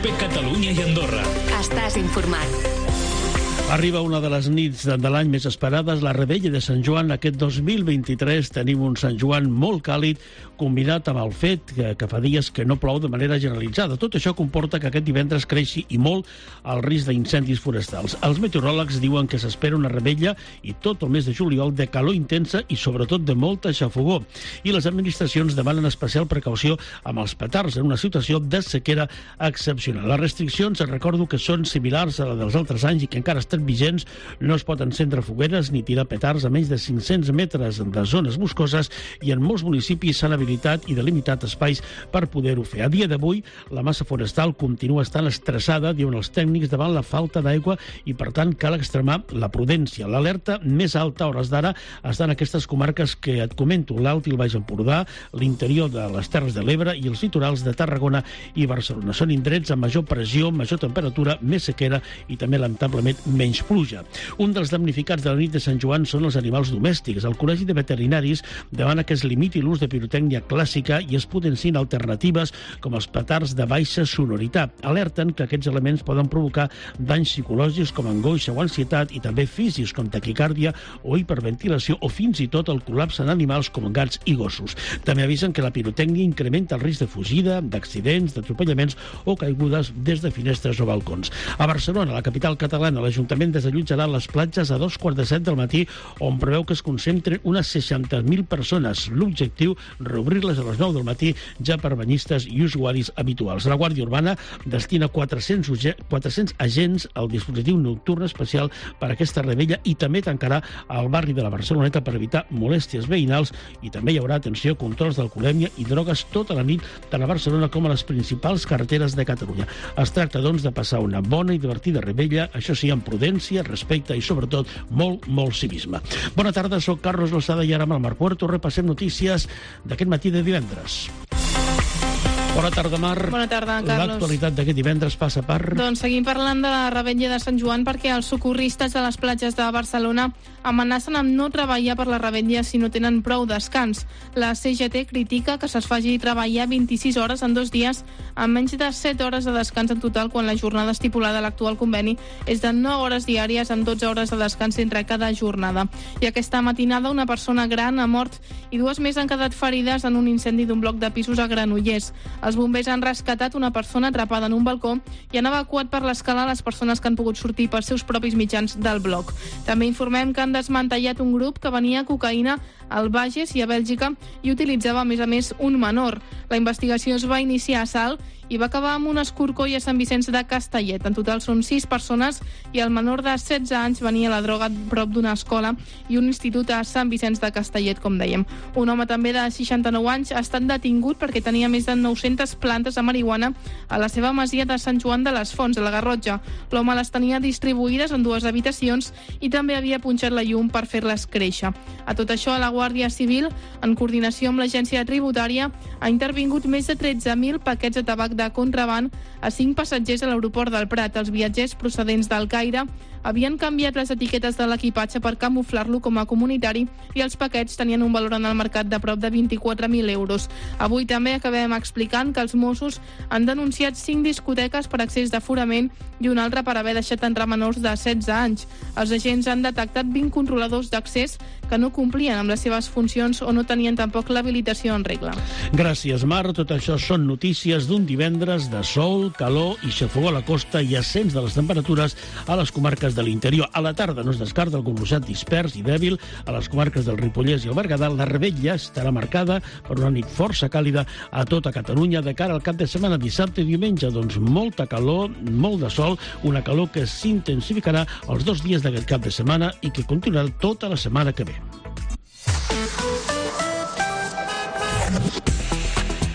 COPE Catalunya i Andorra. Estàs informat. Arriba una de les nits de l'any més esperades, la Revetlla de Sant Joan. Aquest 2023 tenim un Sant Joan molt càlid, combinat amb el fet que fa dies que no plou de manera generalitzada. Tot això comporta que aquest divendres creixi i molt el risc d'incendis forestals. Els meteoròlegs diuen que s'espera una revetlla i tot el mes de juliol de calor intensa i sobretot de molta xafogor. I les administracions demanen especial precaució amb els petards en una situació de sequera excepcional. Les restriccions, recordo que són similars a les dels altres anys i que encara estan vigents. No es pot encendre fogueres ni tirar petards a menys de 500 metres de zones boscoses i en molts municipis s'han habilitat i delimitat espais per poder-ho fer. A dia d'avui, la massa forestal continua estant estressada, diuen els tècnics, davant la falta d'aigua i, per tant, cal extremar la prudència. L'alerta més alta a hores d'ara està en aquestes comarques que et comento, l'Alt i el Baix Empordà, l'interior de les Terres de l'Ebre i els litorals de Tarragona i Barcelona. Són indrets amb major pressió, major temperatura, més sequera i també, lamentablement, menys pluja. Un dels damnificats de la nit de Sant Joan són els animals domèstics. El Col·legi de Veterinaris demana que es limiti l'ús de pirotècnia clàssica i es potenciïn alternatives com els petards de baixa sonoritat. Alerten que aquests elements poden provocar danys psicològics com angoixa o ansietat i també físics com taquicàrdia o hiperventilació o fins i tot el col·lapse en animals com gats i gossos. També avisen que la pirotècnia incrementa el risc de fugida, d'accidents, d'atropellaments o caigudes des de finestres o balcons. A Barcelona, la capital catalana, l'Ajuntament desallotjarà les platges a 2:45 del matí, on preveu que es concentren unes 60.000 persones. L'objectiu, reobrir-les a les 9 del matí ja per banyistes i usuaris habituals. La Guàrdia Urbana destina 400 agents al dispositiu nocturn especial per a aquesta revetlla i també tancarà el barri de la Barceloneta per evitar molèsties veïnals i també hi haurà, atenció, controls d'alcoholèmia i drogues tota la nit tant a Barcelona com a les principals carreteres de Catalunya. Es tracta, doncs, de passar una bona i divertida revetlla, això sí, amb prudència, respecte i, sobretot, molt civisme. Bona tarda, soc Carlos Lozada i ara amb el Marc Puerto repassem notícies d'aquest matí de divendres. Bona tarda, Mar. Bona tarda, Carlos. L'actualitat d'aquest divendres passa per... Doncs seguim parlant de la revetlla de Sant Joan perquè els socorristes de les platges de Barcelona amenacen amb no treballar per la revetlla si no tenen prou descans. La CGT critica que se'ls faci treballar 26 hores en 2 dies amb menys de 7 hores de descans en total quan la jornada estipulada a l'actual conveni és de 9 hores diàries amb 12 hores de descans entre cada jornada. I aquesta matinada una persona gran ha mort i 2 més han quedat ferides en un incendi d'un bloc de pisos a Granollers. Els bombers han rescatat una persona atrapada en un balcó i han evacuat per l'escala les persones que han pogut sortir pels seus propis mitjans del bloc. També informem que han desmantellat un grup que venia cocaïna al Bages i a Bèlgica i utilitzava, a més, un menor. La investigació es va iniciar a Salt i va acabar amb un escorcoll a Sant Vicenç de Castellet. En total són 6 persones i el menor de 16 anys venia la droga prop d'una escola i un institut a Sant Vicenç de Castellet, com dèiem. Un home també de 69 anys ha estat detingut perquè tenia més de 900 plantes de marihuana a la seva masia de Sant Joan de les Fonts, a la Garrotxa. L'home les tenia distribuïdes en 2 habitacions i també havia punxat la llum per fer-les créixer. A tot això, la Guàrdia Civil, en coordinació amb l'Agència Tributària, ha intervingut més de 13.000 paquets de tabac de contraban a 5 passatgers a l'aeroport del Prat. Els viatgers procedents del Caire havien canviat les etiquetes de l'equipatge per camuflar-lo com a comunitari i els paquets tenien un valor en el mercat de prop de 24.000 euros. Avui també acabem explicant que els Mossos han denunciat 5 discoteques per excés d'aforament i una altra per haver deixat entrar menors de 16 anys. Els agents han detectat 20 controladors d'accés que no complien amb les seves funcions o no tenien tampoc l'habilitació en regla. Gràcies, Mar. Tot això són notícies d'un divendres de sol, calor i xafogor a la costa i ascens de les temperatures a les comarques de l'interior. A la tarda no es descarta algun ruixat dispers i dèbil a les comarques del Ripollès i el Berguedà. La revetlla estarà marcada per una nit força càlida a tota Catalunya de cara al cap de setmana, dissabte i diumenge. Doncs molta calor, molt de sol, una calor que s'intensificarà els 2 dies d'aquest cap de setmana i que continuarà tota la setmana que ve.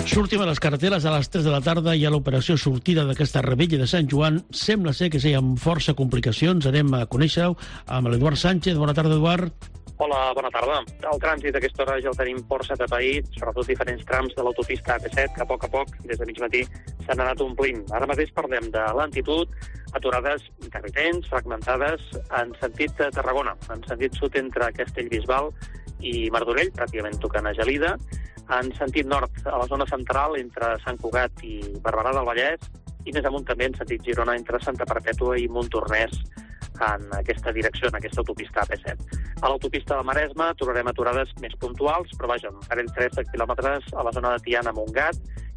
Sortim a les carreteres a les 3 de la tarda i a l'operació sortida d'aquesta revetlla de Sant Joan. Sembla ser que sí, amb força complicacions. Anem a conèixer-ho amb l'Eduard Sánchez. Bona tarda, Eduard. Hola, bona tarda. El trànsit a aquesta hora ja el tenim força atapeït, sobretot diferents trams de l'autopista AP7, que a poc, des de mig matí, s'han anat omplint. Ara mateix parlem de lentitud, aturades intermitents, fragmentades, en sentit de Tarragona, en sentit sud entre Castellbisbal i Martorell, pràcticament tocant a Gelida, en sentit nord, a la zona central, entre Sant Cugat i Barberà del Vallès, i més amunt també en sentit Girona entre Santa Perpètua i Montornès en aquesta direcció, en aquesta autopista AP7. A l'autopista del Maresme trobarem aturades més puntuals, però vaja, un parell 3 de quilòmetres a la zona de Tiana, Montgat,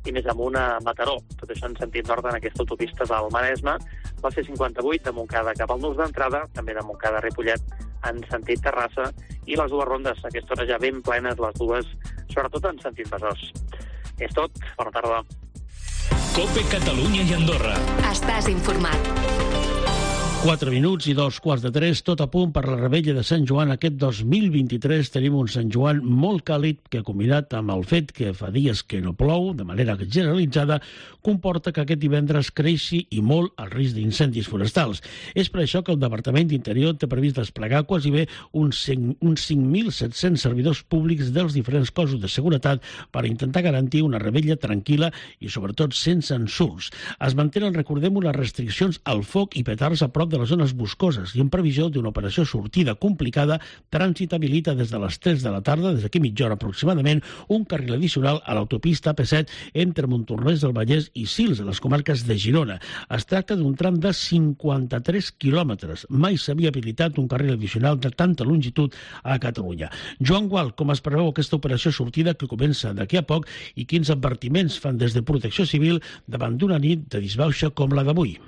i més amunt a Mataró. Tot això en sentit nord en aquesta autopista del Maresme. La C58 de Montcada cap al nus d'entrada, també de Montcada a Ripollet en sentit Terrassa, i les dues rondes, a aquesta hora ja ben plenes, les dues, sobretot en sentit Besòs. És tot. Bona tarda. COPE Catalunya i Andorra. Estàs informat. 4 minuts i 2:15, tot a punt per la revetlla de Sant Joan. Aquest 2023 tenim un Sant Joan molt càlid que, combinat amb el fet que fa dies que no plou, de manera generalitzada, comporta que aquest divendres creixi i molt el risc d'incendis forestals. És per això que el Departament d'Interior té previst desplegar quasi bé uns 5.700 servidors públics dels diferents cossos de seguretat per intentar garantir una revetlla tranquil·la i, sobretot, sense ensurts. Es mantenen, recordem-ho, les restriccions al foc i petards a prop de les zones boscoses i en previsió d'una operació sortida complicada, trànsit habilita des de les 3 de la tarda, des d'aquí mitja hora aproximadament, un carril addicional a l'autopista AP7 entre Montornès del Vallès i Sils, a les comarques de Girona. Es tracta d'un tram de 53 quilòmetres. Mai s'havia habilitat un carril addicional de tanta longitud a Catalunya. Joan Gual, com es preveu aquesta operació sortida que comença d'aquí a poc i quins advertiments fan des de Protecció Civil davant d'una nit de disbauxa com la d'avui?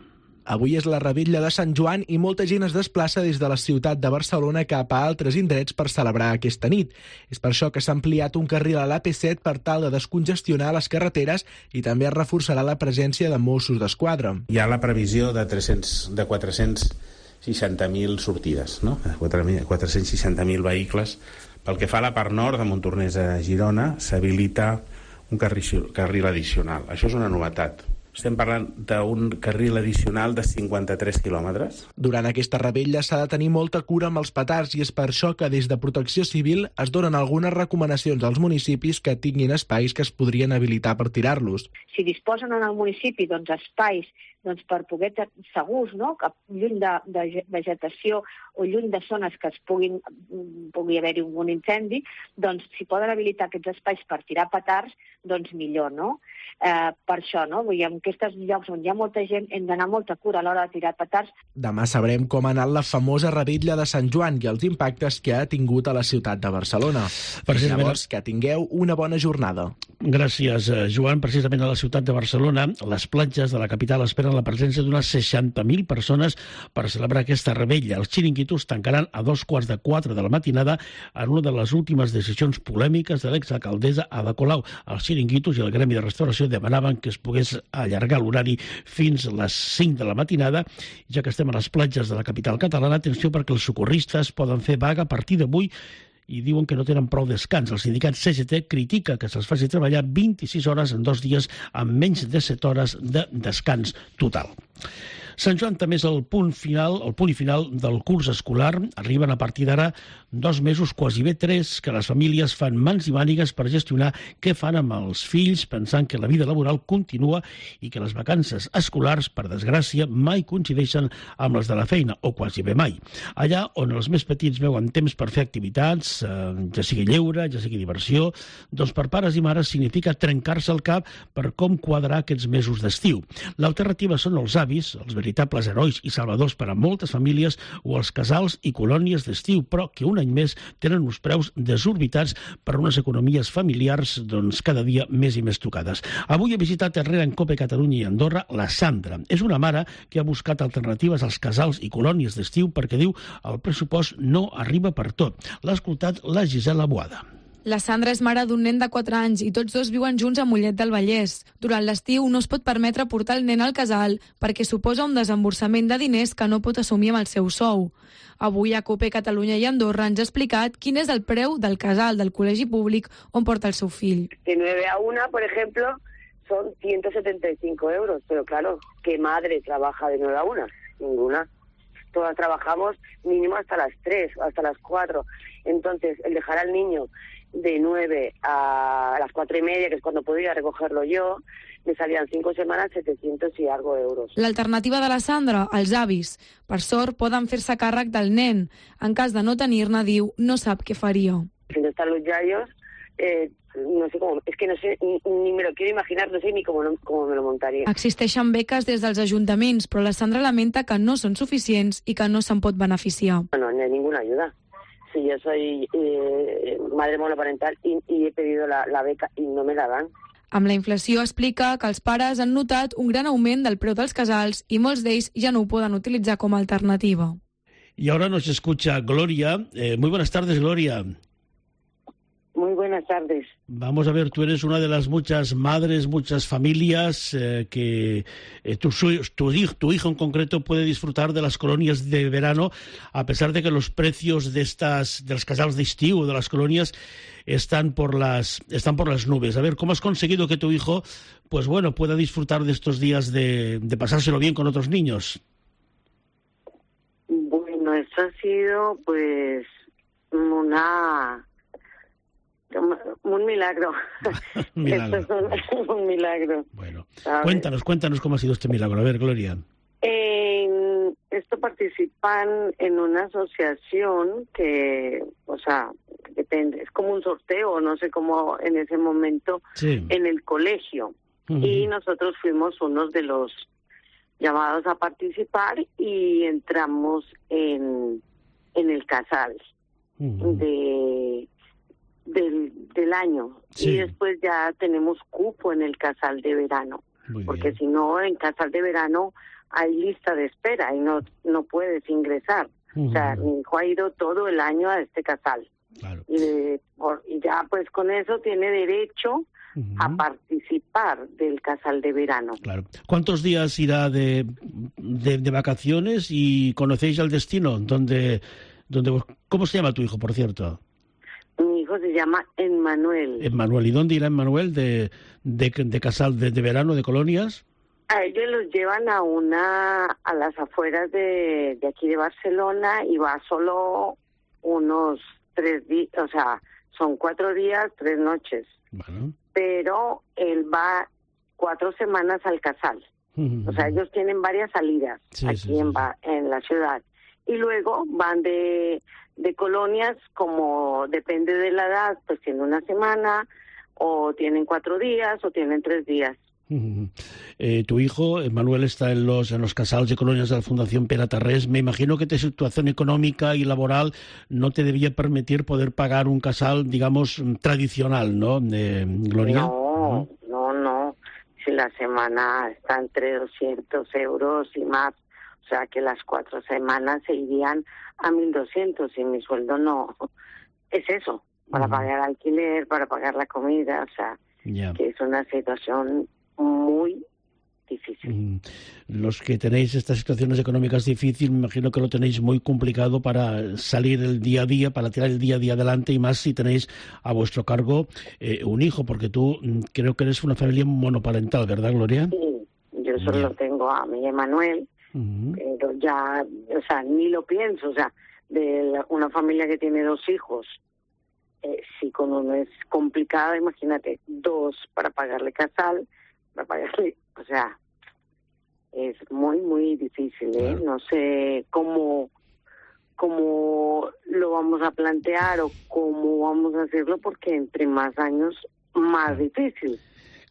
Avui és la revetlla de Sant Joan i molta gent es desplaça des de la ciutat de Barcelona cap a altres indrets per celebrar aquesta nit. És per això que s'ha ampliat un carril a l'AP7 per tal de descongestionar les carreteres i també es reforçarà la presència de Mossos d'Esquadra. Hi ha la previsió de 460.000 sortides, no? 460.000 vehicles. Pel que fa a la part nord de Montornès a Girona, s'habilita un carril addicional. Això és una novetat. Estem parlant d'un carril addicional de 53 quilòmetres. Durant aquesta revetlla s'ha de tenir molta cura amb els petards i és per això que des de Protecció Civil es donen algunes recomanacions als municipis que tinguin espais que es podrien habilitar per tirar-los. Si disposen en el municipi espais per poder segurs, no? Lluny de vegetació o lluny de zones que pugui haver-hi un incendi, doncs si poden habilitar aquests espais per tirar petards, doncs millor, no? Per això, no? Vull dir, en aquests llocs on hi ha molta gent hem d'anar molta cura a l'hora de tirar petards. Demà sabrem com ha anat la famosa revetlla de Sant Joan i els impactes que ha tingut a la ciutat de Barcelona. Llavors, que tingueu una bona jornada. Gràcies, Joan. Precisament a la ciutat de Barcelona, les platges de la capital esperen la presència d'unes 60.000 persones per celebrar aquesta revetlla. Els xiringuitos tancaran a 3:45 de la matinada en una de les últimes decisions polèmiques de l'exalcaldessa Ada Colau. Els xiringuitos i el Gremi de Restauració demanaven que es pogués allargar l'horari fins a les 5 de la matinada. Ja que estem a les platges de la capital catalana, atenció perquè els socorristes poden fer vaga a partir d'avui i diuen que no tenen prou descans. El sindicat CGT critica que se'ls faci treballar 26 hores en 2 dies amb menys de 7 hores de descans total. Sant Joan també és el punt i final del curs escolar. Arriben a partir d'ara 2 mesos, quasi bé 3, que les famílies fan mans i mànigues per gestionar què fan amb els fills, pensant que la vida laboral continua i que les vacances escolars, per desgràcia, mai coincideixen amb les de la feina, o quasi bé mai. Allà on els més petits veuen temps per fer activitats, ja sigui lleure, ja sigui diversió, doncs per pares i mares significa trencar-se el cap per com quadrar aquests mesos d'estiu. L'alternativa són els avis, els veritables herois i salvadors per a moltes famílies, o els casals i colònies d'estiu, però que un any més tenen uns preus desorbitats per unes economies familiars cada dia més i més tocades. Avui he visitat Herrera en COPE Catalunya i Andorra la Sandra. És una mare que ha buscat alternatives als casals i colònies d'estiu perquè diu el pressupost no arriba per tot. L'ha escoltat la Gisela Boada. La Sandra és mare d'un nen de 4 anys i tots dos viuen junts a Mollet del Vallès. Durant l'estiu no es pot permetre portar el nen al casal perquè suposa un desemborsament de diners que no pot assumir amb el seu sou. Avui a COPE Catalunya i Andorra ens ha explicat quin és el preu del casal del col·legi públic on porta el seu fill. De 9 a 1, por ejemplo, son 175 euros. Pero claro, ¿qué madre trabaja de 9 a 1? Ninguna. Todas trabajamos mínimo hasta las 3, hasta las 4. Entonces, el dejar al niño de 9 a las 4:30, que es cuando puedo ir a recogerlo yo, me salían 5 semanas 700 y algo euros. L'alternativa de la Sandra, els avis. Per sort, poden fer-se càrrec del nen. En cas de no tenir-ne, diu, no sap què faria. Si no están los yayos, no sé cómo, es que no sé, ni me lo quiero imaginar, no sé ni cómo me lo montaría. Existeixen beques des dels ajuntaments, però la Sandra lamenta que no són suficients i que no se'n pot beneficiar. No hay ninguna ayuda. Si yo soy madre monoparental y he pedido la beca y no me la dan. Amb la inflació explica que els pares han notat un gran augment del preu dels casals i molts d'ells ja no ho poden utilitzar com a alternativa. Y ahora nos escucha Gloria. Muy buenas tardes, Gloria. Muy buenas tardes. Vamos a ver, tú eres una de las muchas madres, muchas familias que tu hijo en concreto puede disfrutar de las colonias de verano, a pesar de que los precios de los casals d'estiu, de las colonias, están por las nubes. A ver, ¿cómo has conseguido que tu hijo, pues bueno, pueda disfrutar de estos días de pasárselo bien con otros niños? Bueno, esto ha sido pues un milagro. Milagro. Esto es un milagro. Bueno, ¿sabes? cuéntanos cómo ha sido este milagro. A ver, Gloria. Esto participan en una asociación que, o sea, depende, es como un sorteo, no sé cómo en ese momento, Sí. en el colegio. Ujú. Y nosotros fuimos unos de los llamados a participar y entramos en el casal Ujú. del año. Sí. Y después ya tenemos cupo en el casal de verano. Muy Porque bien. si no, en casal de verano hay lista de espera y no puedes ingresar. O sea, Ujú. mi hijo ha ido todo el año a este casal. Claro. Y ya pues con eso tiene derecho Ujú. a participar del casal de verano. Claro. ¿Cuántos días irá de vacaciones y conocéis el destino? ¿Cómo se llama tu hijo, por cierto? Mi hijo se llama Emmanuel. Emmanuel. ¿Y dónde irá Emmanuel de casal de verano, de colonias? A ellos los llevan a las afueras de aquí de Barcelona y va solo unos 3 días, o sea, son 4 días, 3 noches. Bueno. Pero él va 4 semanas al casal. Ujú. O sea, ellos tienen varias salidas Sí, aquí sí, en la ciudad. Y luego van de colonias, como depende de la edad, pues tienen 1 semana, o tienen 4 días, o tienen 3 días. Ujú. Tu hijo, Manuel, está en los casals de colonias de la Fundación Pere Tarrés. Me imagino que tu situación económica y laboral no te debía permitir poder pagar un casal, digamos, tradicional, ¿no, Gloria? No. Si la semana está entre 200 euros y más, o sea que las 4 semanas se irían a 1.200 y mi sueldo no es eso, para pagar alquiler, para pagar la comida, o sea, Ya. que es una situación muy difícil. Los que tenéis estas situaciones económicas difíciles, me imagino que lo tenéis muy complicado para salir el día a día, para tirar el día a día adelante, y más si tenéis a vuestro cargo un hijo, porque tú creo que eres una familia monoparental, ¿verdad, Gloria? Sí, yo solo tengo a mi Emmanuel, pero ya, o sea, ni lo pienso, o sea, una familia que tiene 2 hijos, si con uno es complicado, imagínate, 2 para pagarle casal, para pagarle, o sea, es muy, muy difícil, ¿eh? Claro. No sé cómo lo vamos a plantear o cómo vamos a hacerlo, porque entre más años, más difícil.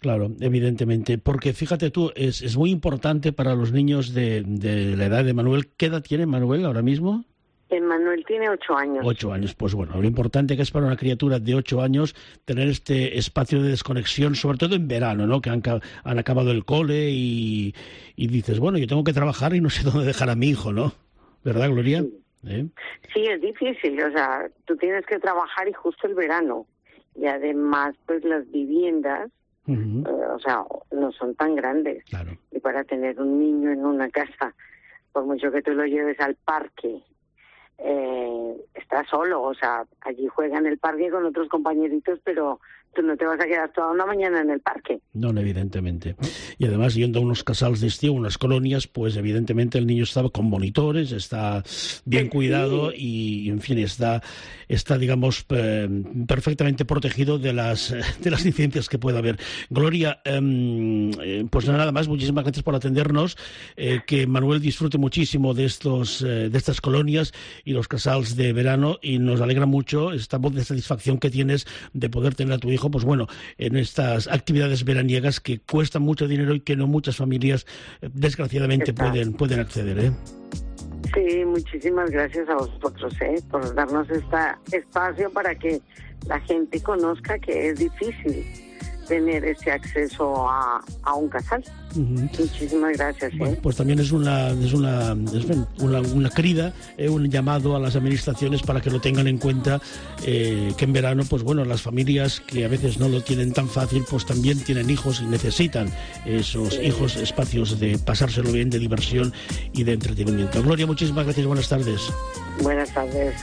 Claro, evidentemente, porque fíjate tú, es muy importante para los niños de la edad de Manuel. ¿Qué edad tiene Manuel ahora mismo? Emmanuel tiene 8 años. 8 años, pues bueno, lo importante que es para una criatura de 8 años tener este espacio de desconexión, sobre todo en verano, ¿no? Que han acabado el cole y dices, bueno, yo tengo que trabajar y no sé dónde dejar a mi hijo, ¿no? ¿Verdad, Gloria? Sí, es difícil, o sea, tú tienes que trabajar y justo el verano. Y además, pues las viviendas, o sea, no son tan grandes. Claro. Y para tener un niño en una casa, por mucho que tú lo lleves al parque, está solo, o sea, allí juega en el parque con otros compañeritos, pero Tú no te vas a quedar toda una mañana en el parque. No, evidentemente. Y además, yendo a unos casals de estío, unas colonias, pues evidentemente el niño estaba con monitores, está bien cuidado y, en fin, está digamos, perfectamente protegido de las incidencias que pueda haber. Gloria, pues nada más, muchísimas gracias por atendernos, que Manuel disfrute muchísimo de estas colonias y los casals de verano, y nos alegra mucho esta voz de satisfacción que tienes de poder tener a tu hijo, pues bueno, en estas actividades veraniegas que cuestan mucho dinero y que no muchas familias, desgraciadamente, pueden acceder, Sí, muchísimas gracias a vosotros, por darnos este espacio para que la gente conozca que es difícil tener ese acceso a un casal. Muchísimas gracias. Bueno, pues también es una crida, un llamado a las administraciones para que lo tengan en cuenta, que en verano, pues bueno, las familias que a veces no lo tienen tan fácil, pues también tienen hijos y necesitan esos hijos, espacios de pasárselo bien, de diversión y de entretenimiento. Gloria, muchísimas gracias, buenas tardes. Buenas tardes.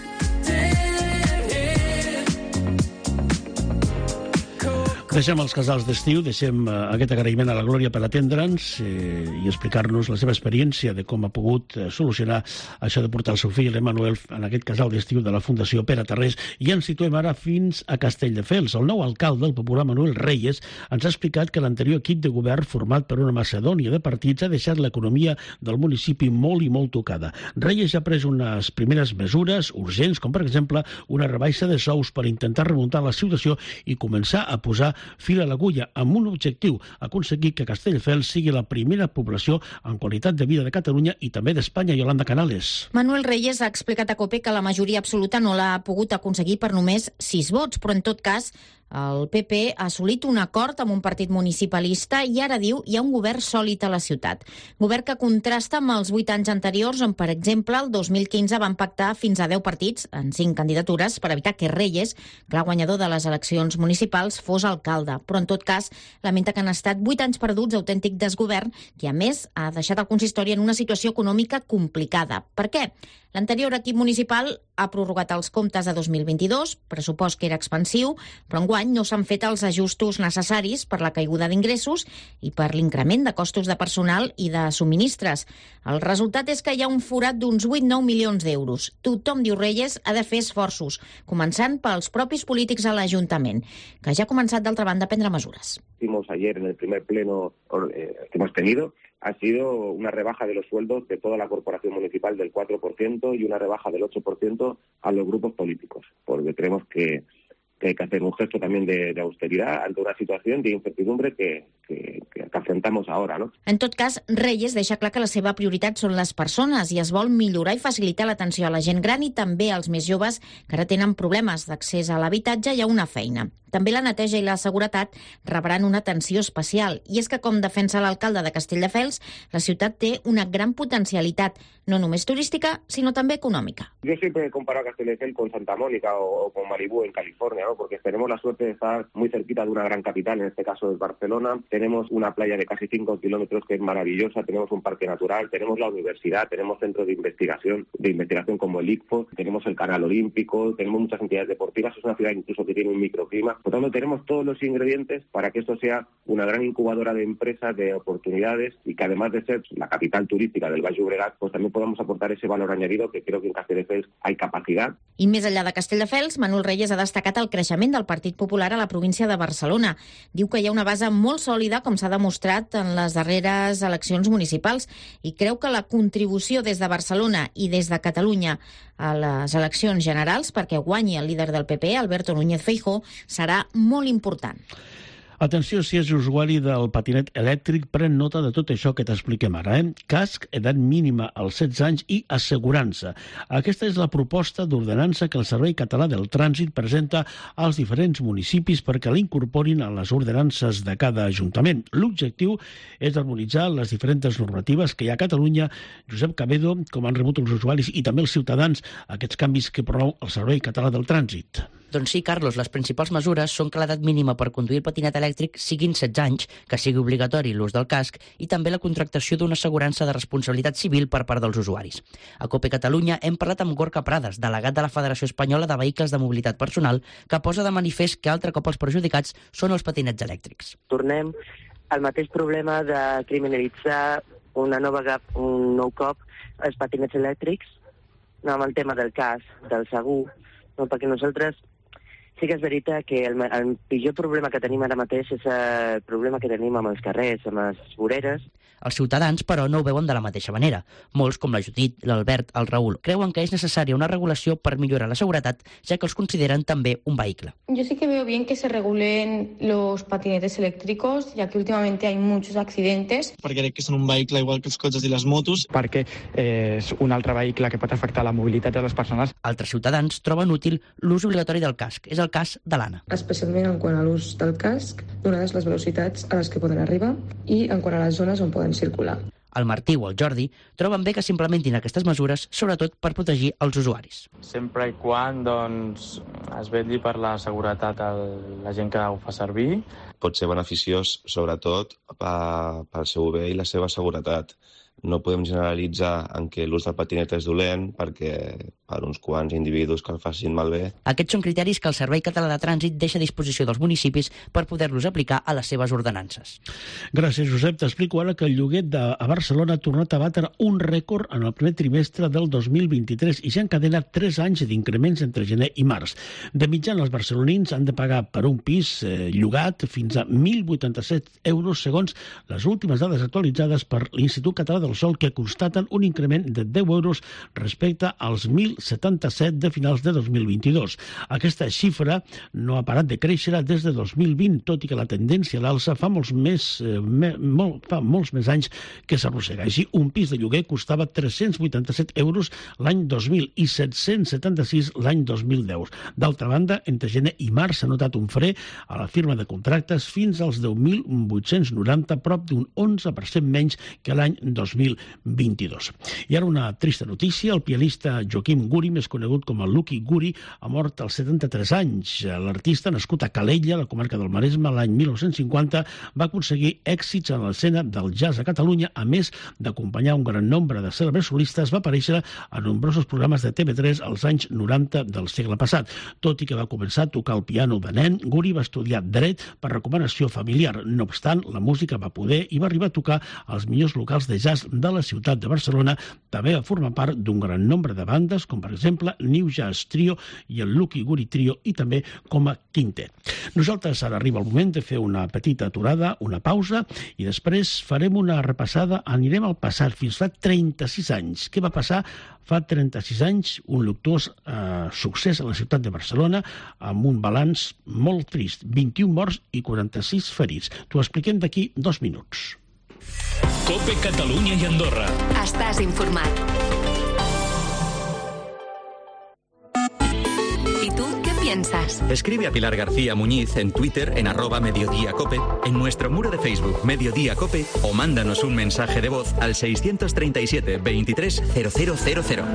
Deixem els casals d'estiu, deixem aquest agraïment a la Glòria per atendre'ns i explicar-nos la seva experiència de com ha pogut solucionar això de portar el seu fill, l'Emanuel, en aquest casal d'estiu de la Fundació Pere Tarrés. I ens situem ara fins a Castelldefels. El nou alcalde, el popular Manuel Reyes, ens ha explicat que l'anterior equip de govern, format per una macedònia de partits, ha deixat l'economia del municipi molt i molt tocada. Reyes ja ha pres unes primeres mesures urgents, com per exemple una rebaixa de sous per intentar remuntar la situació i començar a posar fil a l'agulla, amb un objectiu: aconseguir que Castelldefels sigui la primera població en qualitat de vida de Catalunya i també d'Espanya. Yolanda Canales. Manuel Reyes ha explicat a COPE que la majoria absoluta no l'ha pogut aconseguir per només 6 vots, però en tot cas el PP ha assolit un acord amb un partit municipalista i ara diu hi ha un govern sòlid a la ciutat. Govern que contrasta amb els 8 anys anteriors on, per exemple, el 2015 van pactar fins a 10 partits en 5 candidatures per evitar que Reyes, clar guanyador de les eleccions municipals, fos alcalde. Però, en tot cas, lamenta que han estat 8 anys perduts, autèntic desgovern, que, a més, ha deixat el consistori en una situació econòmica complicada. Per què? L'anterior equip municipal ha prorrogat els comptes de 2022, pressupost que era expansiu, però enguany no s'han fet els ajustos necessaris per la caiguda d'ingressos i per l'increment de costos de personal i de subministres. El resultat és que hi ha un forat d'uns 8-9 milions d'euros. Tothom, diu Reyes, ha de fer esforços, començant pels propis polítics a l'Ajuntament, que ja ha començat, d'altra banda, a prendre mesures. Ayer en el primer pleno que hemos tenido ha sido una rebaja de los sueldos de toda la corporación municipal del 4% y una rebaja del 8% a los grupos políticos, porque creemos que hay que hacer un gesto también de austeridad ante una situación de incertidumbre que afrontamos ahora, ¿no? En tot cas, Reyes deixa clar que la seva prioritat són les persones i es vol millorar i facilitar l'atenció a la gent gran i també als més joves que ara tenen problemes d'accés a l'habitatge i a una feina. També la neteja i la seguretat rebran una atenció especial. I és que, com defensa l'alcalde de Castelldefels, la ciutat té una gran potencialitat, no només turística, sinó també econòmica. Yo siempre he comparado Castelldefels con Santa Mónica o con Malibú en California, ¿no? Porque tenemos la suerte de estar muy cerquita de una gran capital, en este caso es Barcelona. Tenemos una playa de casi 5 kilómetros que es maravillosa, tenemos un parque natural, tenemos la universidad, tenemos centros de investigación como el ICFO, tenemos el Canal Olímpico, tenemos muchas entidades deportivas, es una ciudad incluso que tiene un microclima. Por tanto, tenemos todos los ingredientes para que esto sea una gran incubadora de empresas, de oportunidades, y que además de ser la capital turística del Baix Llobregat, pues también podamos aportar ese valor añadido que creo que en Castelldefels hay capacidad. I més enllà de Castelldefels, Manuel Reyes ha destacat el creixement del Partit Popular a la província de Barcelona. Diu que hi ha una base molt sòlida, com s'ha demostrat en les darreres eleccions municipals, i creu que la contribució des de Barcelona i des de Catalunya a les eleccions generals perquè guanyi el líder del PP, Alberto Núñez Feijóo, serà molt important. Atenció si és usuari del patinet elèctric, pren nota de tot això que t'expliquem ara. Casc, edat mínima als 16 anys i assegurança. Aquesta és la proposta d'ordenança que el Servei Català del Trànsit presenta als diferents municipis perquè l'incorporin a les ordenances de cada ajuntament. L'objectiu és harmonitzar les diferents normatives que hi ha a Catalunya. Josep Cabedo, com han rebut els usuaris i també els ciutadans aquests canvis que promou el Servei Català del Trànsit? Doncs sí, Carlos, les principals mesures són que l'edat mínima per conduir el patinet elèctric siguin 16 anys, que sigui obligatori l'ús del casc i també la contractació d'una assegurança de responsabilitat civil per part dels usuaris. A COPE Catalunya hem parlat amb Gorka Prades, delegat de la Federació Espanyola de Vehicles de Mobilitat Personal, que posa de manifest que altre cop els perjudicats són els patinets elèctrics. Tornem al mateix problema de criminalitzar un nou cop els patinets elèctrics, amb el tema del casc, del segur, perquè nosaltres sí que és veritat que el pitjor problema que tenim ara mateix és el problema que tenim amb els carrers, amb les voreres. Els ciutadans, però, no ho veuen de la mateixa manera. Molts, com la Judit, l'Albert, el Raül, creuen que és necessària una regulació per millorar la seguretat, ja que els consideren també un vehicle. Yo sí que veo bien que se regulen los patinetes eléctricos, ya que últimamente hay muchos accidentes. Perquè crec que són un vehicle igual que els cotxes i les motos. Perquè és un altre vehicle que pot afectar la mobilitat de les persones. Altres ciutadans troben útil l'ús obligatori del casc. És el cas de l'Anna. Especialment en quant a l'ús del casc, donades les velocitats a les que poden arribar i en quant a les zones on poden circular. El Martí o el Jordi troben bé que s'implementin aquestes mesures, sobretot per protegir els usuaris. Sempre i quan es vetlli per la seguretat de la gent que ho fa servir. Pot ser beneficiós, sobretot, pel seu bé i la seva seguretat. No podem generalitzar en què l'ús del patinet és dolent perquè per uns quants individus que el facin malbé. Aquests són criteris que el Servei Català de Trànsit deixa a disposició dels municipis per poder-los aplicar a les seves ordenances. Gràcies, Josep. T'explico ara que el lloguer a Barcelona ha tornat a batre un rècord en el primer trimestre del 2023 i s'ha encadenat 3 anys d'increments entre gener i març. De mitjana, els barcelonins han de pagar per un pis llogat fins a 1.087 euros segons les últimes dades actualitzades per l'Institut Català del Sol, que constaten un increment de 10 euros respecte als 1.077 de finals de 2022. Aquesta xifra no ha parat de créixer des de 2020, tot i que la tendència a l'alça fa molts més anys que s'arrossega. Així, un pis de lloguer costava 387 euros l'any 2000 i 776 l'any 2010. D'altra banda, entre gener i març s'ha notat un fre a la firma de contractes fins als 10.890, prop d'un 11% menys que l'any 2022. I ara una trista notícia. El pianista Joaquim Guri, més conegut com el Lucky Guri, ha mort als 73 anys. L'artista, nascut a Calella, la comarca del Maresme, l'any 1950, va aconseguir èxits en l'escena del jazz a Catalunya. A més d'acompanyar un gran nombre de cèlebres solistes, va aparèixer a nombrosos programes de TV3 als anys 90 del segle passat. Tot i que va començar a tocar el piano de nen, Guri va estudiar dret per recomanació familiar. No obstant, la música va poder i va arribar a tocar als millors locals de jazz de la ciutat de Barcelona. També va formar part d'un gran nombre de bandes, com per exemple New Jazz Trio i el Lucky Guri Trio, i també com a quintet. Nosaltres ara arriba el moment de fer una petita aturada, una pausa, i després farem una repassada, anirem al passat, fins fa 36 anys. Què va passar fa 36 anys? Un luctuós succés a la ciutat de Barcelona, amb un balanç molt trist, 21 morts i 46 ferits. T'ho expliquem d'aquí 2 minuts. COPE Catalunya y Andorra. Estàs informat. ¿Y tú qué piensas? Escribe a Pilar García Muñiz en Twitter en @mediodíacope, en nuestro muro de Facebook Mediodía Cope, o mándanos un mensaje de voz al 637 23 0000.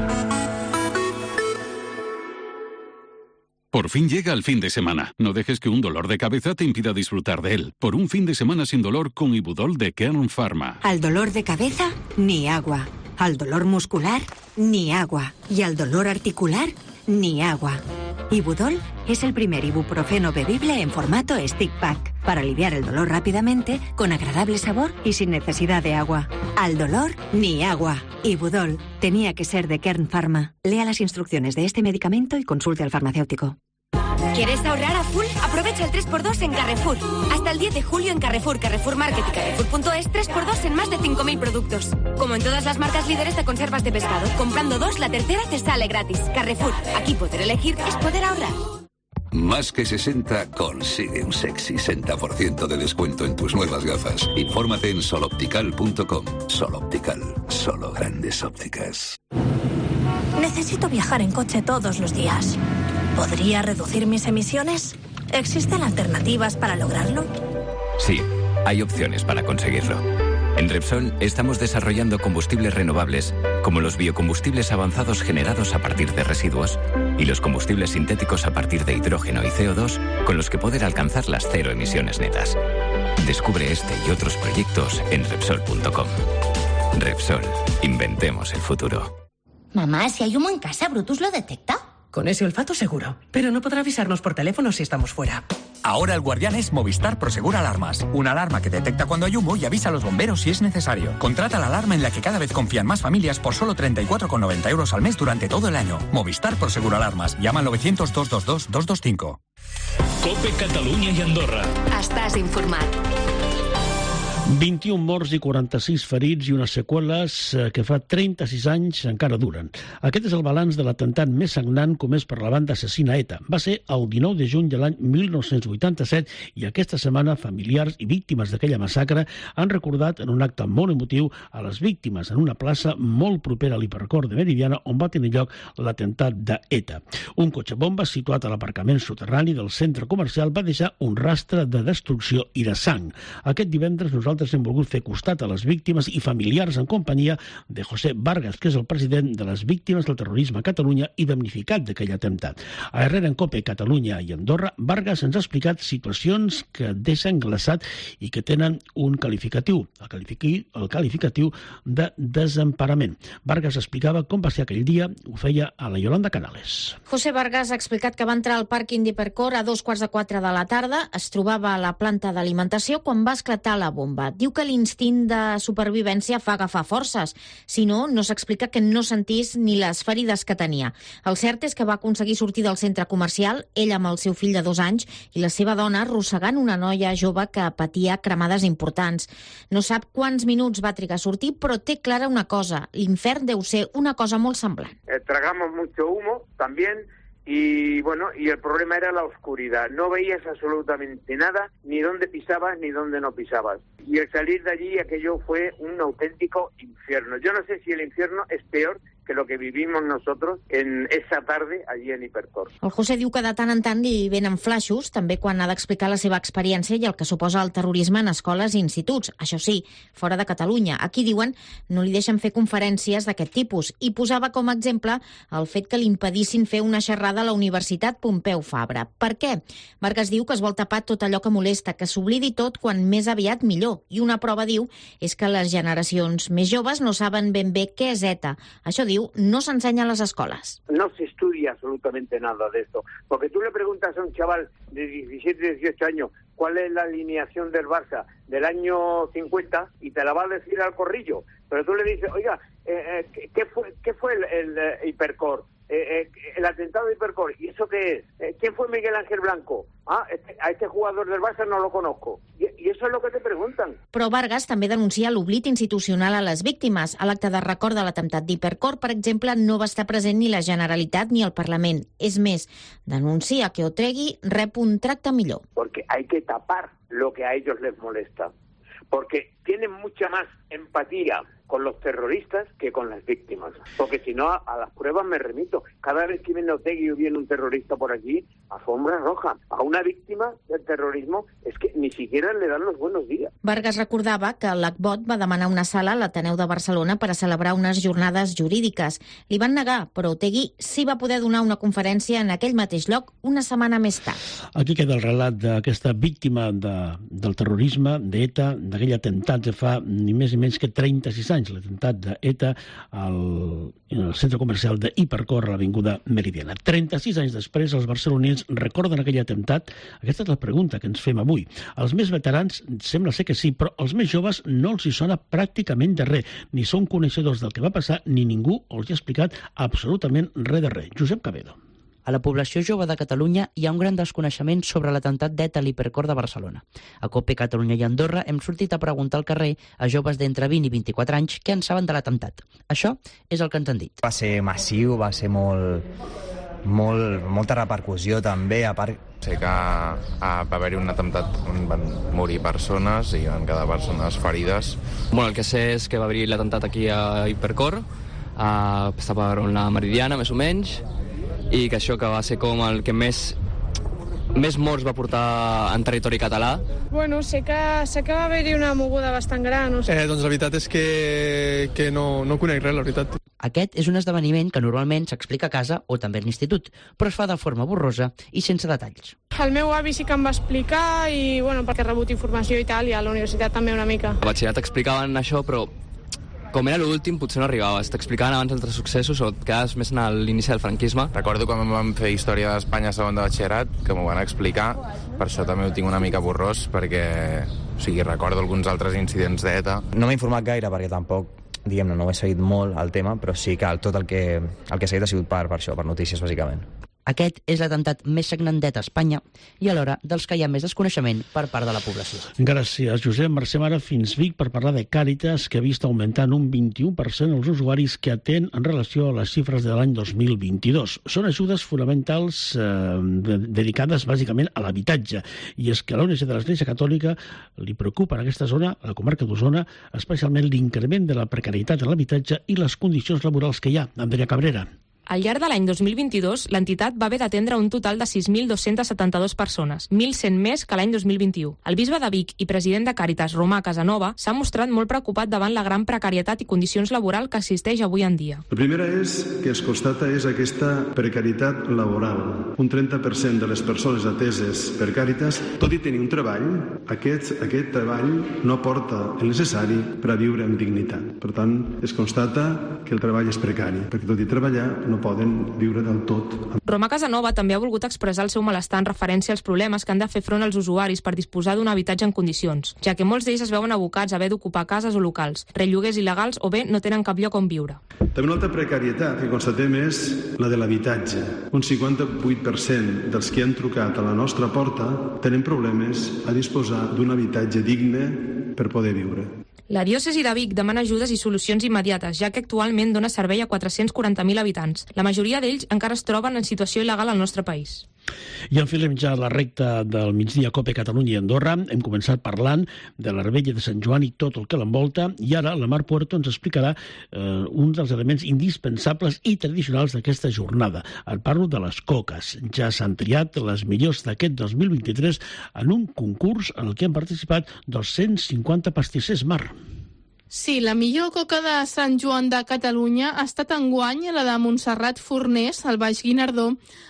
Por fin llega el fin de semana. No dejes que un dolor de cabeza te impida disfrutar de él. Por un fin de semana sin dolor con Ibudol de Kern Pharma. Al dolor de cabeza, ni agua. Al dolor muscular, ni agua. Y al dolor articular, ni agua. Ibudol es el primer ibuprofeno bebible en formato stick pack, para aliviar el dolor rápidamente, con agradable sabor y sin necesidad de agua. Al dolor, ni agua. Ibudol tenía que ser de Kern Pharma. Lea las instrucciones de este medicamento y consulte al farmacéutico. ¿Quieres ahorrar a full? Aprovecha el 3x2 en Carrefour. Hasta el 10 de julio en Carrefour, Carrefour Market y Carrefour.es, 3x2 en más de 5.000 productos. Como en todas las marcas líderes de conservas de pescado, comprando 2, la tercera te sale gratis. Carrefour, aquí poder elegir es poder ahorrar. Más que 60 consigue un sexy 60% de descuento en tus nuevas gafas. Infórmate en soloptical.com. Soloptical, solo grandes ópticas. Necesito viajar en coche todos los días. ¿Podría reducir mis emisiones? ¿Existen alternativas para lograrlo? Sí, hay opciones para conseguirlo. En Repsol estamos desarrollando combustibles renovables, como los biocombustibles avanzados generados a partir de residuos, y los combustibles sintéticos a partir de hidrógeno y CO2 con los que poder alcanzar las cero emisiones netas. Descubre este y otros proyectos en Repsol.com. Repsol, inventemos el futuro. Mamá, si hay humo en casa, ¿Brutus lo detecta? Con ese olfato seguro, pero no podrá avisarnos por teléfono si estamos fuera. Ahora el guardián es Movistar Prosegur Alarmas. Una alarma que detecta cuando hay humo y avisa a los bomberos si es necesario. Contrata la alarma en la que cada vez confían más familias por solo 34,90 euros al mes durante todo el año. Movistar Prosegur Alarmas. Llama al 900-222-225. COPE Catalunya i Andorra. Estàs informat. 21 morts i 46 ferits i unes seqüeles que fa 36 anys encara duren. Aquest és el balanç de l'atemptat més sagnant comès per la banda assassina ETA. Va ser el 19 de juny de l'any 1987 i aquesta setmana familiars i víctimes d'aquella massacre han recordat en un acte molt emotiu a les víctimes en una plaça molt propera a l'hipercor de Meridiana on va tenir lloc l'atemptat d'ETA. Un cotxe bomba situat a l'aparcament soterrani del centre comercial va deixar un rastre de destrucció i de sang. Aquest divendres nosaltres hem volgut fer costat a les víctimes i familiars en companyia de José Vargas, que és el president de les víctimes del terrorisme a Catalunya i damnificat d'aquell atemptat. A Herrera en COPE, Catalunya i Andorra, Vargas ens ha explicat situacions que deixen glaçat i que tenen un qualificatiu, el qualificatiu de desemparament. Vargas explicava com va ser aquell dia, ho feia a la Yolanda Canales. José Vargas ha explicat que va entrar al pàrquing d'Hipercor a 3:15 de la tarda, es trobava a la planta d'alimentació quan va esclatar la bomba. Diu que l'instint de supervivència fa agafar forces. Si no, no s'explica que no sentís ni les ferides que tenia. El cert és que va aconseguir sortir del centre comercial, ell amb el seu fill de 2 anys i la seva dona arrossegant una noia jove que patia cremades importants. No sap quants minuts va trigar a sortir, però té clara una cosa, l'infern deu ser una cosa molt semblant. Tragamos mucho humo también. Y bueno, y el problema era la oscuridad. No veías absolutamente nada, ni dónde pisabas ni dónde no pisabas. Y el salir de allí, aquello fue un auténtico infierno. Yo no sé si el infierno es peor que lo que vivimos nosotros en esa tarde allí en Hipercor. El José diu que de tant en tant li venen flaixos, també quan ha d'explicar la seva experiència i el que suposa el terrorisme en escoles i instituts. Això sí, fora de Catalunya. Aquí, diuen, no li deixen fer conferències d'aquest tipus. I posava com a exemple el fet que li impedissin fer una xerrada a la Universitat Pompeu Fabra. Per què? Vargas diu que es vol tapar tot allò que molesta, que s'oblidi tot quan més aviat millor. I una prova, diu, és que les generacions més joves no saben ben bé què és ETA. Això diu, no s'ensenya a les escoles. No se estudia absolutamente nada de esto. Porque tú le preguntas a un chaval de 17, 18 años cuál es la alineación del Barça del año 50 y te la va a decir al corrillo. Pero tú le dices, oiga, ¿qué fue el Hipercor? El atentado de Hipercor. ¿Y eso qué es? ¿Quién fue Miguel Ángel Blanco? A este jugador del Barça no lo conozco. I això és el que te pregunten. Però Vargas també denuncia l'oblit institucional a les víctimes. A l'acte de record de l'atemptat d'Hipercor, per exemple, no va estar present ni la Generalitat ni el Parlament. És més, denuncia que Otregui rep un tracte millor. Porque hay que tapar lo que a ellos les molesta. Porque tienen mucha más empatía con los terroristas que con las víctimas. Porque si no, a las pruebas me remito. Cada vez que viene Otegi o viene un terrorista por aquí, alfombra roja. A una víctima del terrorismo es que ni siquiera le dan los buenos días. Vargas recordava que l'ACBOT va demanar una sala a l'Ateneu de Barcelona per a celebrar unes jornades jurídiques. Li van negar, però Otegi sí va poder donar una conferència en aquell mateix lloc una setmana més tard. Aquí queda el relat d'aquesta víctima del terrorisme, d'ETA, d'aquell atemptat que fa ni més ni menys que 36 anys, l'atemptat d'ETA al centre comercial d'Hipercor a l'avinguda Meridiana. 36 anys després, els barcelonins recorden aquell atemptat? Aquesta és la pregunta que ens fem avui. Els més veterans sembla ser que sí, però els més joves no els hi sona pràcticament de res. Ni són coneixedors del que va passar, ni ningú els ha explicat absolutament res de res. Josep Cabedo. A la població jove de Catalunya hi ha un gran desconeixement sobre l'atemptat d'ETA a l'Hipercor de Barcelona. A COPE Catalunya i Andorra hem sortit a preguntar al carrer a joves d'entre 20 i 24 anys què en saben de l'atemptat. Això és el que ens han dit. Va ser massiu, va ser molta repercussió també, a part... Sé que va haver-hi un atemptat on van morir persones i van quedar persones ferides. Bueno, el que sé és que va haver-hi l'atemptat aquí a Hipercor, estava a la Meridiana, més o menys, i que això que va ser com el que més morts va portar en territori català. Bueno, sé que va haver-hi una moguda bastant gran. No sé. Doncs la veritat és que no conec res, la veritat. Aquest és un esdeveniment que normalment s'explica a casa o també a l'institut, però es fa de forma borrosa i sense detalls. El meu avi sí que em va explicar i, perquè he rebut informació i tal, i a la universitat també una mica. A batxillerat explicaven això, però com era l'últim potser no arribaves. T'explicaven abans altres successos o et quedaves més en l'inici del franquisme. Recordo quan vam fer Història d'Espanya segon de batxillerat, que m'ho van explicar, per això també ho tinc una mica borrós, perquè recordo alguns altres incidents d'ETA. No m'he informat gaire perquè tampoc, diguem-ne, no ho he seguit molt el tema, però sí que tot el que he seguit ha sigut per això, per notícies, bàsicament. Aquest és l'atemptat més sagnantet a Espanya i alhora dels que hi ha més desconeixement per part de la població. Gràcies, Josep. Marxem ara fins Vic per parlar de Càritas, que ha vist augmentant un 21% els usuaris que atén en relació a les xifres de l'any 2022. Són ajudes fonamentals dedicades bàsicament a l'habitatge. I és que a l'ONG de l'Església Catòlica li preocupa en aquesta zona, a la comarca d'Osona, especialment l'increment de la precarietat en l'habitatge i les condicions laborals que hi ha. Andrea Cabrera. Al llarg de l'any 2022, l'entitat va haver d'atendre un total de 6.272 persones, 1.100 més que l'any 2021. El bisbe de Vic i president de Càritas, Romà Casanova, s'ha mostrat molt preocupat davant la gran precarietat i condicions laboral que existeix avui en dia. La primera que es constata és aquesta precarietat laboral. Un 30% de les persones ateses per Càritas, tot i tenir un treball, aquest treball no aporta el necessari per a viure amb dignitat. Per tant, es constata que el treball és precari, perquè tot i treballar no poden viure del tot. Romà Casanova també ha volgut expressar el seu malestar en referència als problemes que han de fer front als usuaris per disposar d'un habitatge en condicions, ja que molts d'ells es veuen abocats a haver d'ocupar cases o locals, relloguers il·legals o bé no tenen cap lloc on viure. També una altra precarietat que constatem és la de l'habitatge. Un 58% dels que han trucat a la nostra porta tenen problemes a disposar d'un habitatge digne per poder viure. La diòcesi de Vic demana ajudes i solucions immediates, ja que actualment dona servei a 440.000 habitants. La majoria d'ells encara es troben en situació il·legal al nostre país. I enfilem ja la recta del migdia COPE Catalunya i Andorra. Hem començat parlant de la Revetlla de Sant Joan i tot el que l'envolta, i ara la Mar Puerto ens explicarà un dels elements indispensables i tradicionals d'aquesta jornada. Et parlo de les coques. Ja s'han triat les millors d'aquest 2023 en un concurs en el que han participat 250 pastissers. Mar. Sí, la millor coca de Sant Joan de Catalunya ha estat enguany la de Montserrat Fornés, al Baix Guinardó,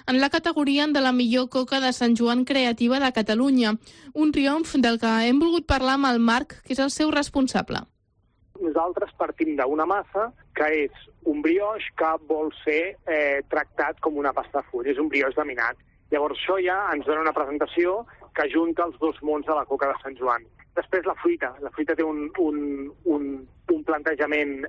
en la categoria de la millor coca de Sant Joan creativa de Catalunya. Un triomf del que hem volgut parlar amb el Marc, que és el seu responsable. Nosaltres partim d'una massa que és un brioix que vol ser tractat com una pasta de full, és un brioix laminat. Llavors això ja ens dona una presentació que junta els dos mons de la coca de Sant Joan. Després la fruita. La fruita té un plantejament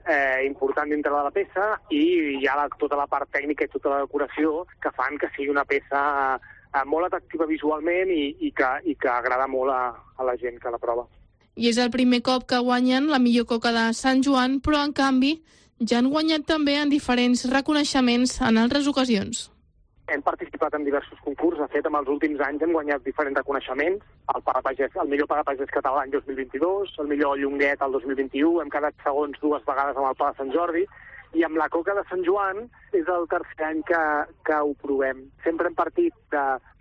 important dintre de la peça i hi ha tota la part tècnica i tota la decoració que fan que sigui una peça molt atractiva visualment i que agrada molt a la gent que la prova. I és el primer cop que guanyen la millor coca de Sant Joan, però en canvi ja han guanyat també en diferents reconeixements en altres ocasions. Hem participat en diversos concursos, de fet, en els últims anys hem guanyat diferents reconeixements, el millor pagapagès català l'any 2022, el millor llonguet el 2021, hem quedat segons 2 vegades amb el Pla de Sant Jordi, i amb la coca de Sant Joan és el tercer any que ho provem. Sempre hem partit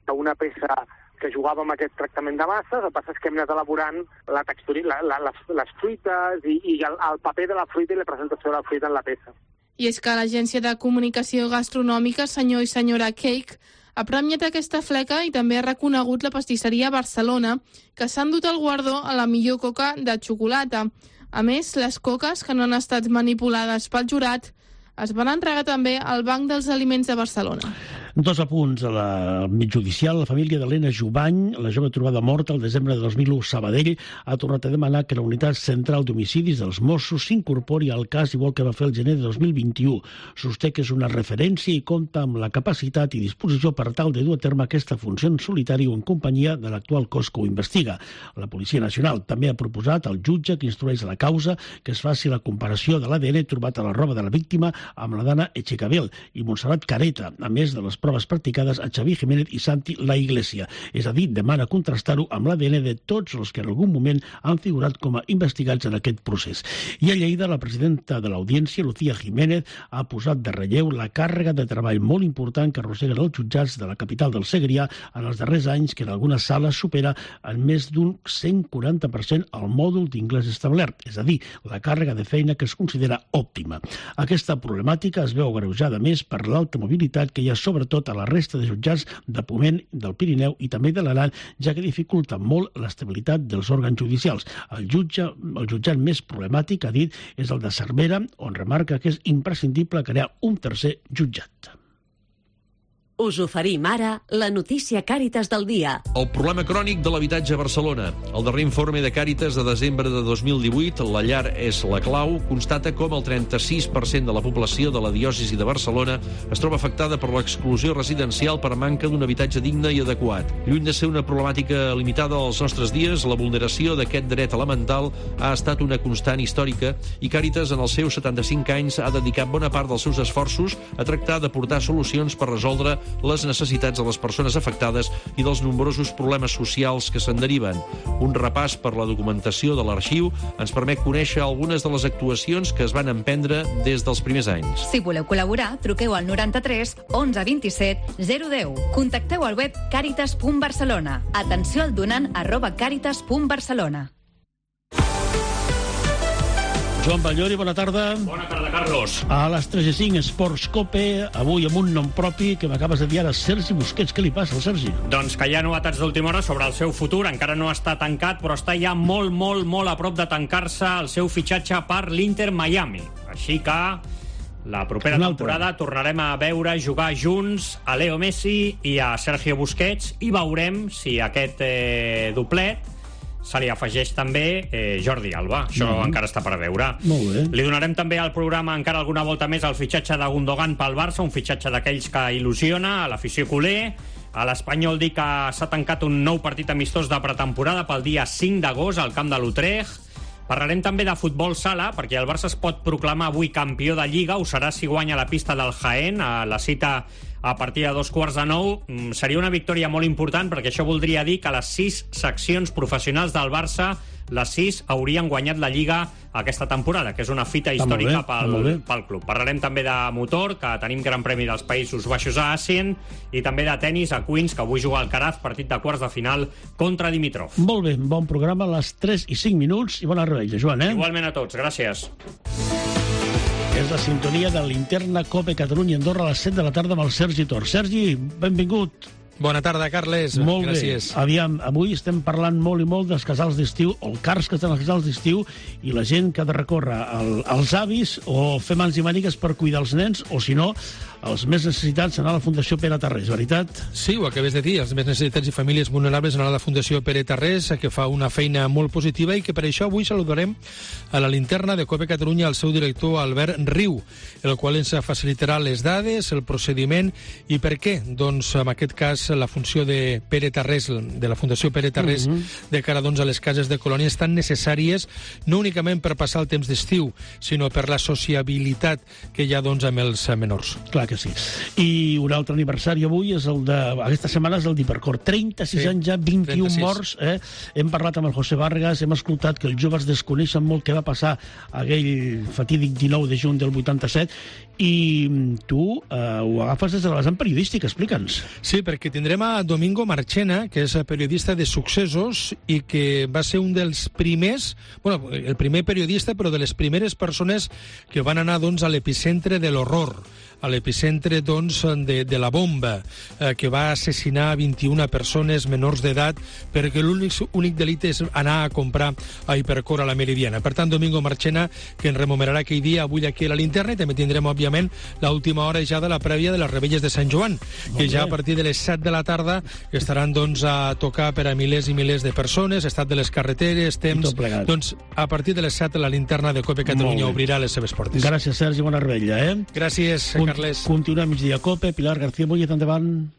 d'una peça que jugava amb aquest tractament de masses, el que passa és que hem anat elaborant la textura, les fruites i el paper de la fruita i la presentació de la fruita en la peça. I és que l'Agència de Comunicació Gastronòmica, senyor i senyora Cake, ha premiat aquesta fleca i també ha reconegut la pastisseria Barcelona, que s'ha endut el guardó a la millor coca de xocolata. A més, les coques que no han estat manipulades pel jurat es van entregar també al Banc dels Aliments de Barcelona. 2 apunts a l'àmbit judicial. La família d'Helena Jubany, la jove trobada morta el desembre de 2001 a Sabadell, ha tornat a demanar que la unitat central d'homicidis dels Mossos s'incorpori al cas igual que va fer el gener de 2021. Sosté que és una referència i compta amb la capacitat i disposició per tal de dur a terme aquesta funció en solitari o en companyia de l'actual cos que ho investiga. La Policia Nacional també ha proposat al jutge que instrueix la causa que es faci la comparació de l'ADN trobat a la roba de la víctima amb la d'Anna Echecabel i Montserrat Careta, a més de les proves practicades a Xavi Jiménez i Santi La Iglesia. És a dir, demana contrastar-ho amb l'ADN de tots els que en algun moment han figurat com a investigats en aquest procés. I a Lleida, la presidenta de l'Audiència, Lucía Jiménez, ha posat de relleu la càrrega de treball molt important que arrosseguen els jutjats de la capital del Segrià en els darrers anys, que en algunes sales supera en més d'un 140% el mòdul d'inglès establert, és a dir, la càrrega de feina que es considera òptima. Aquesta problemàtica es veu agreujada més per l'alta mobilitat que hi ha sobretot a la resta de jutjats de Ponent, del Pirineu i també de l'Aran, ja que dificulta molt l'estabilitat dels òrgans judicials. El jutjat més problemàtic, ha dit, és el de Cervera, on remarca que és imprescindible crear un tercer jutjat. Us oferim ara la notícia Càritas del dia. El problema crònic de l'habitatge a Barcelona. El darrer informe de Càritas de desembre de 2018, La llar és la clau, constata com el 36% de la població de la diòcesi de Barcelona es troba afectada per l'exclusió residencial per manca d'un habitatge digne i adequat. Lluny de ser una problemàtica limitada als nostres dies, la vulneració d'aquest dret elemental ha estat una constant històrica i Càritas, en els seus 75 anys, ha dedicat bona part dels seus esforços a tractar d'aportar solucions per resoldre les necessitats de les persones afectades i dels nombrosos problemes socials que se'n deriven. Un repàs per la documentació de l'arxiu ens permet conèixer algunes de les actuacions que es van emprendre des dels primers anys. Si voleu col·laborar, truqueu al 93 11 27 010. Contacteu al web caritas.barcelona. Atenció al donant @caritas.barcelona. Joan Ballori, bona tarda. Bona tarda, Carlos. A les 3:05, Esports Cope, avui amb un nom propi que m'acabes de dir ara, Sergi Busquets. Què li passa al Sergi? Doncs que hi ha novetats d'última hora sobre el seu futur. Encara no està tancat, però està ja molt a prop de tancar-se el seu fitxatge per l'Inter Miami. Així que la propera temporada tornarem a veure jugar junts a Leo Messi i a Sergio Busquets i veurem si aquest doblet se li afegeix també Jordi Alba. Això encara està per veure. Molt bé. Li donarem també al programa encara alguna volta més el fitxatge de Gundogan pel Barça, un fitxatge d'aquells que il·lusiona a l'afició culer. A l'Espanyol dir que s'ha tancat un nou partit amistós de pretemporada pel dia 5 d'agost al camp de l'Utrecht. Parlarem també de futbol sala, perquè el Barça es pot proclamar avui campió de Lliga. Ho serà si guanya la pista del Jaén. A la cita a partir de 8:45. Seria una victòria molt important, perquè això voldria dir que les 6 seccions professionals del Barça, les 6 haurien guanyat la Lliga aquesta temporada, que és una fita històrica pel club. Parlarem també de motor, que tenim Gran Premi dels Països Baixos a Assen, i també de tennis a Queens, que avui juga al Caraz, partit de quarts de final contra Dimitrov. Molt bé, bon programa a les 3:05 i bona revetlla, Joan, Igualment a tots, gràcies. És la sintonia de Linterna Cope Catalunya-Andorra a les 7 de la tarda amb el Sergi Tor. Sergi, benvingut. Bona tarda, Carles. Molt Gràcies. bé. Aviam, avui estem parlant molt i molt dels casals d'estiu, o el cars que estan als casals d'estiu, i la gent que ha de recórrer als avis o fer mans i mànigues per cuidar els nens, o si no, els més necessitats anar a la Fundació Pere Tarrés, veritat? Sí, ho acabes de dir, els més necessitats i famílies vulnerables anar a la Fundació Pere Tarrés, que fa una feina molt positiva i que per això avui saludarem a la linterna de Cope Catalunya el seu director Albert Riu, el qual ens facilitarà les dades, el procediment i per què. Doncs en aquest cas la funció de Pere Tarrés, de la Fundació Pere Tarrés, de cara doncs, a les cases de colònia estan necessàries no únicament per passar el temps d'estiu, sinó per la sociabilitat que hi ha doncs, amb els menors. Clar que sí. I un altre aniversari avui és el de... Aquesta setmana és el d'Hipercor. 36 anys ja, 21 morts. Hem parlat amb el José Vargas, hem escoltat que els joves desconeixen molt què va passar aquell fatídic 19 de juny del 87 i tu ho agafes des de la vessant periodística. Explica'ns. Sí, perquè tindrem a Domingo Marchena, que és periodista de successos i que va ser un dels primers, bueno, el primer periodista, però de les primeres persones que van anar doncs, a l'epicentre de l'horror, a l'epicentre doncs, de la bomba, que va assassinar 21 persones menors d'edat perquè l'únic delicte és anar a comprar a Hipercor a la Meridiana. Per tant, Domingo Marchena, que ens rememorarà aquell dia avui aquí a la linterna, i també tindrem, òbviament, l'última hora ja de la prèvia de les Rebelles de Sant Joan, que ja a partir de les 7 de la tarda estaran doncs, a tocar per a milers i milers de persones, estat de les carreteres, temps... Doncs a partir de les 7 la linterna de Cope Catalunya obrirà les seves portes. Gràcies, Sergi, bona rebella, Gràcies, Carles. Continuem migdia Cope. Pilar García Muñoz, endavant.